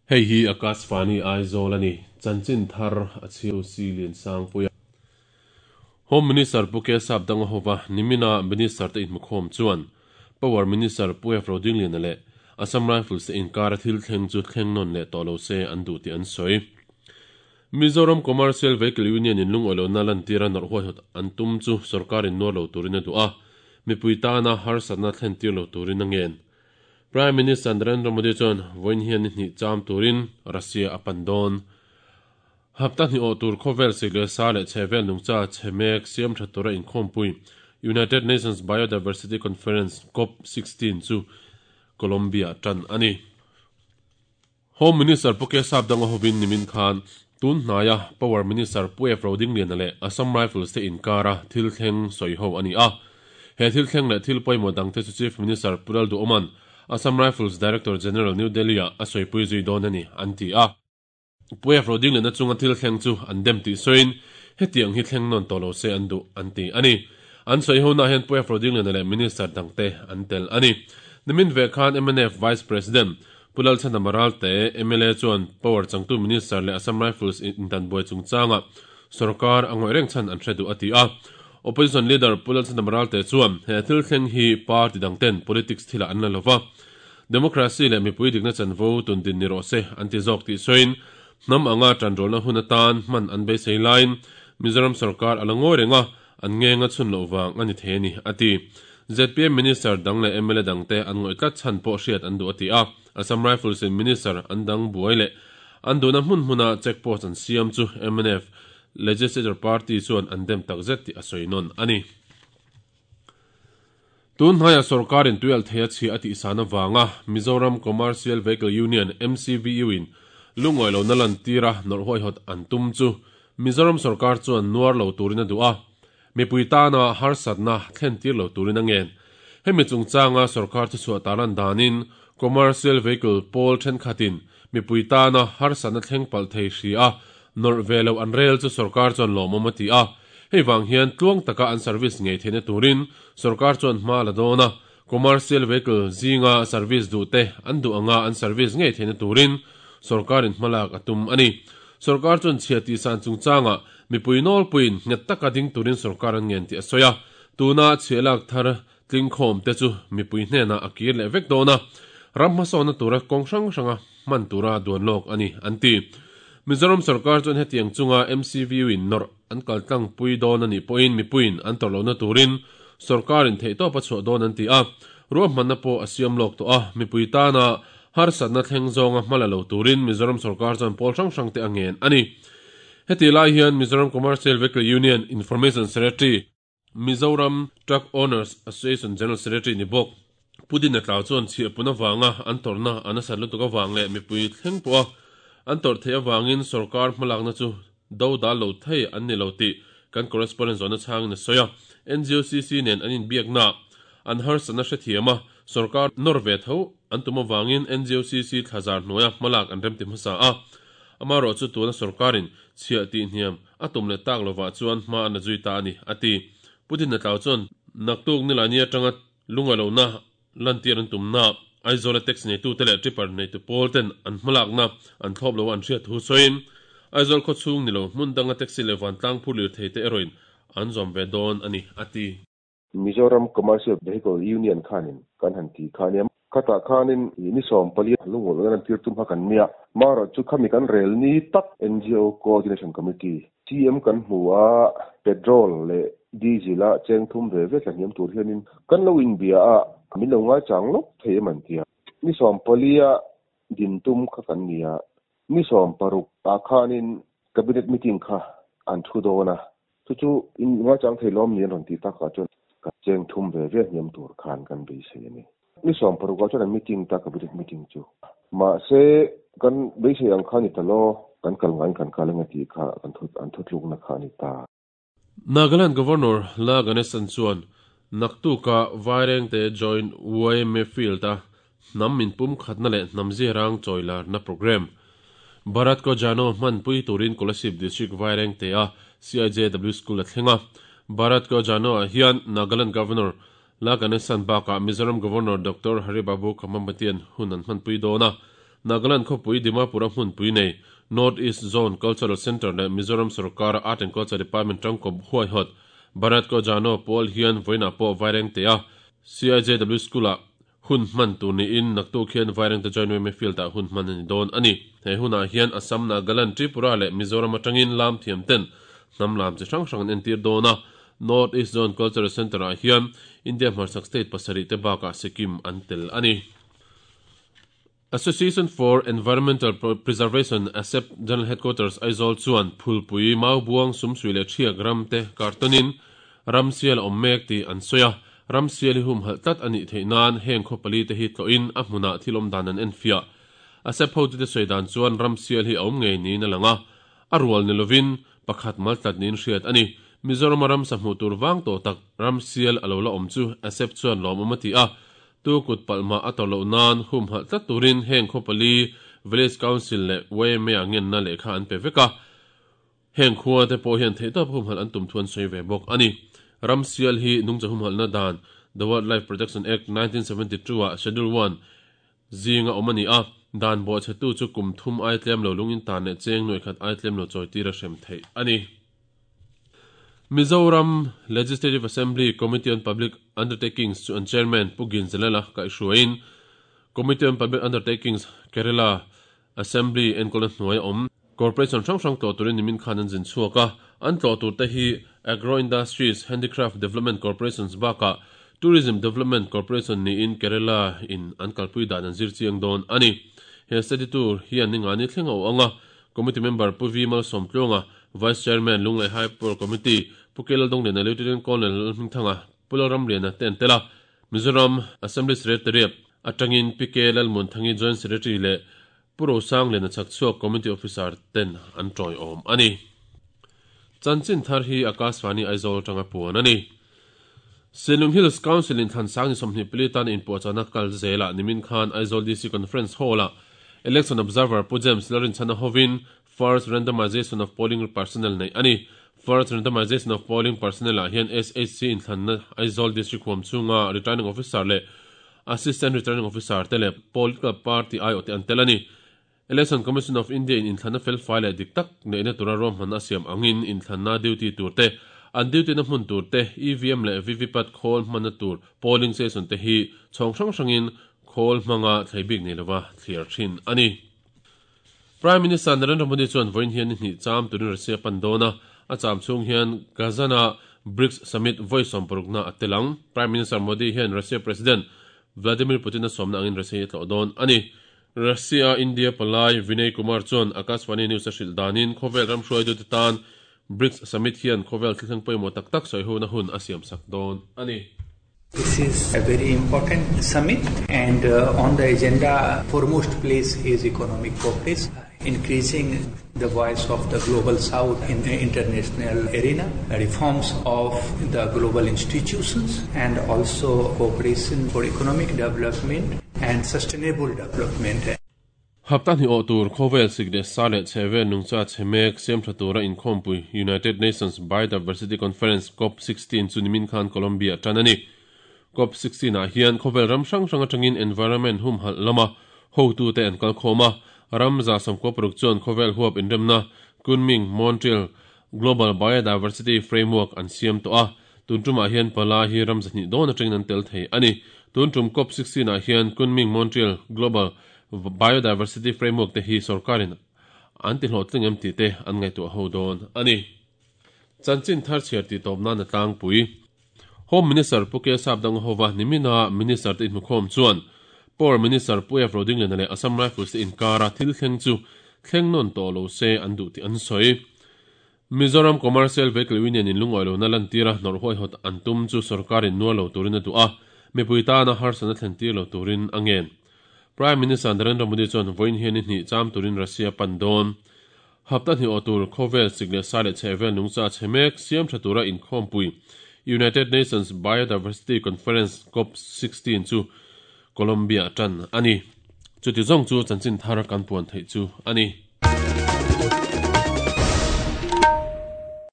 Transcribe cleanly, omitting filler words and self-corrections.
Hei hi Akashvani Aizawl a ni. Chanchin thar a chhiar si Liansangpuia. Home Minister Pu Kesap Danga hova nimina Minister te inhmukhawm chuan Power Minister Pu F Rodingliana leh Assam Rifles te inkara thil thleng chu thleng nawn leh tawh lo se an duh tih an sawi. Mizoram Commercial Vehicle Union in lungawi lohna lantira nawrh huaihawt an tum chu sorkarin nuar lo turin a duh a, mipui tana harsatna thlen tir lo turin a ngen. Prime Minister Narendra Modi chuan vawiin hian ni hnih cham turin Russia a pan dawn. Hapta hnih awh tur khawvel sik leh sa leh chhehvel nungcha chhe mek siam tha tura inkhawmpui United Nations Biodiversity Conference cop 16 chu Colombia tan a ni. Home Minister Pu Kesap Danga hovin nimin khan tun hnaia Power Minister Pu F Rodingliana leh Assam Rifles te inkara thil thleng sawi ho a ni a. He thil thleng leh thil pawimawh dangte chu Chief Minister Pu Lalduhawma'n Assam Rifles Director General New Delhi-ah a sawipui zui dawn a ni, an ti a. Pu F Rodingliana chunga thil thleng chu an dem tih sawiin hetiang hi thleng nawn tawh lo se an duh, an ti a ni. An sawi honah hian Pu F Rodingliana leh Minister dangte an tel a ni. Nimin ve khan mnf Vice President Pu Lalchhana Maralte, mla chuan Power changtu Minister leh Assam Rifles intanbuai chungchangah sorkar a ngawih reng chhan an hre duh a ti a. Opposition Leader Pu Lalchhana Maralte chuan he thil thleng hi party dangten politics thilah an la lova, democracy leh mipui dikna chanvo tundin ni rawh se an ti zawk tih sawiin hnam anga tanrualna hun atan hman an beisei laiin Mizoram sorkar a la ngawi reng a, An ngeng a chhun loh vang a ni thei a ni, a ti. Zpm Minister dang leh mla dangte an ngawih tlat chhan pawh hriat an duh a ti a. Assam Rifles in Minister an dang buai leh an duhna hmun hmuna check post an siam chu mnf Legislature Party chuan an dem tak zet tih a sawi nawn a ni. Tun hnaiah sorkarin tuialh thei a chhia a tihsan avanga Mizoram Commercial Vehicle Union, MCVU, in lungawi lohna lantira nawrh huaihawt an tum chu Mizoram sorkar chuan nuar lo turin a duh a, mipui tana harsatna thlen tir lo turin a ngen. Hemi chungchanga sorkar thuchhuah tarlan danin Commercial Vehicle pawl thenkhatin mipui tana harsatna thleng palh thei hri a nawrh ve loh an rel chu sorkar chuan lawmawm a ti a. Hei vang hian tluang taka an service ngei theihna turin sorkar chuan hma a la dawn a, commercial vehicle zinga service duhte an duh anga an service ngei theihna turin sorkarin hmalak a tum a ni. Sorkar chuan chhia tihsan chungchangah mipui nawlpuiin nghet taka ding turin sorkar an ngen tih a sawi a, tuna chhia lak thar tlingkhawm te chu mipui hnenah a kir leh vek dawn a, ram hmasawnna tura kawng hrang hranga hman tura duan lawk a ni, an ti. Mizoram sorkar chuan hetiang chunga MCVU in nawrh an kal tlangpui dawn a nih pawhin mipuiin an tawrh lohna turin sorkarin theihtawp a chhuah dawn an ti a, ruahmanna pawh a siam lawk tawh a, mipui tana harsatna thleng zawnga hma la lo turin Mizoram sorkar chuan pawl hrang hrang te a ngen a ni. Heti lai hian Mizoram Commercial Vehicle Union Information Secretary, Mizoram Truck Owners Association General Secretary ni bawk Pu Dina Tlau chuan chhiahpun avanga an tawrhna a nasat lutuk avang leh mipui thleng pawha an tawrh theih avangin sorkar hmalakna chu do dal lo thei an ni lo tih kan correspondent zawhna chhangin a sawi a. NGOCC nen an inbiaknaah an harsatna hrethiam a, sorkar nawr ve tho an tum avangin NGOCC thlazar hnuaia hmalak an remti hmasa a. Amaherawhchu tuna sorkarin chhiah tihhniam A tum leh tak lovah chuan hma a na zui ta a ni, a ti. Pu Dina Tlau chuan naktuk Nilani atanga lungalohna lantir an tumna Aizawla taxi neitute leh tripper neitu pawl ten an hmalakna an thlawp lo a an hriat thu sawiin, Aizawl khawchhung ni lo hmun danga taxi leh vantlang phur lirthei te erawhin an zawm ve dawn a ni, a ti. Mizoram Commercial Vehicle Union khanin kan han ti kha ania. Khatah khanin ni 14 lungawlh nan tir tum kha kan nia. Marawh chu khami kan rel ni tak NGO Coordination Committee, CM kan hmu a, petrol leh diesel a cheng thum ve ve tla hniam tur hianin kan lo inbia a, min lo ngaichang lawk thei em an tia. Ni 14 a din tum kha kan nia. Ni 16 ah khanin Cabinet meeting kha an thu dawn a, Chu chu in ngaichang thei lawm ni an rawn tih takah chuan ka cheng thum ve ve hniam tur khan kan beisei a ni. Ni 16 ah chuan an meeting ta cabinet meeting chu. Mahse kan beisei ang kha a ni ta lo, kan kal ngaiin kan kal eng a tih kha kan thu an thutlukna kha a ni ta. Nagaland Governor La Ganesan chuan naktuka Vairengte Joint YMA Field-a hnam inpumkhatna leh hnam ziarang chawilarna programme Bharat Ko Jano hmanpui turin Kolasib District Vairengte-a CIJW School a thleng a. Bharat Ko Jano-ah hian Nagaland Governor La Ganesan bakah Mizoram Governor Doctor Hari Babu Khamamatian hun an hmanpui dawn a. Nagaland khawpui Dimapur-a hmunpui nei North East Zone Cultural Centre leh Mizoram sorkara Art and Culture Department tangkawp huaihawt Bharat Ko Jano pawl hian vawiinah pawh Vairengtea CIJW School-ah hun hman tur niin naktuk hian Vairengte Joint Yma Field-ah hun hman a ni dawn a ni. He hunah hian Assam, Nagaland, Tripura leh Mizoram atangin lam thiam ten hnam lam chi hrang hrang an entir dawn a. North East Zone Cultural Centre-ah hian India hmarchhak state pasarih te bakah Sikkim an tel a ni. Association for Environmental Preservation, ASEP, General Headquarters, Aizawl chuan Phulpui, Maubuang, Sumsui leh Thiak ram te kartawnin ramsial a awm mek tih an sawi a. Ramsial hi humhalh tlat a nih theih nan heng khaw pali te hi tlawhin a hmunah thil awm dan an enfiah. ASEP hotute sawi dan chuan ramsial hi a awm ngei niin a lang a, a rual ni lovin pakhat mal tlat niin hriat a ni. Mizorama ramsa hmuh tur vang tawh tak ramsial a lo la awm chu ASEP chuan lawmawm a ti a. Tu kut palh mah a tawrh loh nan humhalh tlat turin heng khaw pali Village Council leh YMA-ah ngenna lehkha an pe vek a. Heng khua te pawh hian theihtawp humhalh an tum thu an sawi ve bawk a ni. Ramsial hi nungcha humhalhna dan The Wildlife Protection Act, 1972 ah Schedule One zinga awm a ni a, dan bawhchhetu chu kum thum ai tlem lo lungin tan leh cheng nuaih khat ai tlem lo chawi tir a hrem theih a ni. Mizoram Legislative Assembly Committee on Public Undertakings chu an Chairman Pu Ginzalala kaihhruaiin Committee on Public Undertakings Kerala Assembly enkawlna hnuaia awm Corporation hrang hrang tlawh turin nimin khan an zin chhuak a, an tlawh turte hi Agro Industries, Handicraft Development Corporations bakah Tourism Development Corporation niin Kerala in an kalpui dan an zir chiang dawn a ni. He study tour hian ningani thleng a awh ang a, Committee member Pu V Malsawmtluanga, Vice Chairman Lunglei High Power Committee Pu K Laldongliana, Lieutenant Colonel Lalhmingthanga, Pu Lalramliana te an tel a. Mizoram Assembly Secretariat atangin Pi K Lalmuanthangi Joint Secretary leh Pu Rosangliana Chhakchhuak Committee Officer ten an tawiawm a ni. Chanchin thar hi Akashvani Aizawl atanga puan a ni. Sinlung Hills Council in Thlansang ni 24 tan inpuahchahna kal zelah nimin khan Aizawl DC Conference Hall-ah Election Observer Pu James Lalrinchhana hovin First Randomization of Polling Personnel neih a ni. First Randomization of Polling Personnel ah hian SHC inthlanna Aizawl District huam chhunga Returning Officer leh Assistant Returning Officer te leh Political Party aiawhte an tel a ni. Election Commission of India in inthlanna felfai leh dik tak neihna tura ruahmanna a siam angin inthlanna duty tur te, an duty na hmun tur te, EVM leh VVPAT khawl hmanna tur polling station te hi chhawng hrang hrangin khawl hmanga thlei bik nei lova thliar thin a ni. Prime Minister Narendra Modi chuan vawiin hian ni hnih cham turin Russia pan dawn a, a cham chhung hian Kazan-a BRICS Summit vawi sawmparukna a tel ang. Prime Minister Modi hian Russia President Vladimir Putin-a sawmna angin Russia hi a tlawh dawn a ni. Russia India palai Vinay Kumar chuan Akashvani News a hrilh danin khawvel ram hruaitute tan BRICS Summit hian khawvel thilthleng pawimawh tak tak sawihona hun a siamsak dawn a ni. This is a very important summit and on the agenda foremost place is economic cooperation, increasing the voice of the global south in the international arena, reforms of the global institutions and also cooperation for economic development and sustainable development. Hapta hnih awh tur khawvel sik leh sa leh chhehvel nungcha chhe mek siam tha tura inkhawmpui United Nations Biodiversity Conference Cop 16 chu nimin khan Colombia a tan a ni. Cop 16 ah hian khawvel ram hrang hrang atangin environment humhalh lama hotute an kalkhawm a, ram 196 chuan khawvel huap inremna Kunming, Montreal Global Biodiversity Framework an siam tawh a, tun tumah hian pala hi ram 200 dawn atangin an tel thei a ni. Tun tum Cop 16 ah hian Kunming, Montreal Global Biodiversity Framework te hi sorkarin an ti hlawhtling em tih te an ngaihtuah ho dawn a ni. Chanchin thar chhiar tih tawp nan a tlangpui. Home Minister Pu K Sapdanga hova nimina Minister te inhmukhawm chuan Power Minister Pu F Rodingliana leh Assam Rifles te inkara thil thleng chu thleng nawn tawh lo se an duh tih an sawi. Mizoram Commercial Vehicle Union in lungawi lohna lantira hnawrh huaihawt an tum chu sorkarin nuar lo turin a duh a, mipui tana harsatna thlen tir lo turin a ngen. Prime Minister Narendra Modi chuan vawiin hian ni hnih cham turin Russia pan dawn. Hapta hnih awh tur khawvel sik leh sa leh chhehvel nungcha chhe mek siam tha tura inkhawmpui United Nations Biodiversity Conference Cop 16 chu Colombia tan a ni. Chuti zawng chu chanchin thar kan puan theih chu a ni.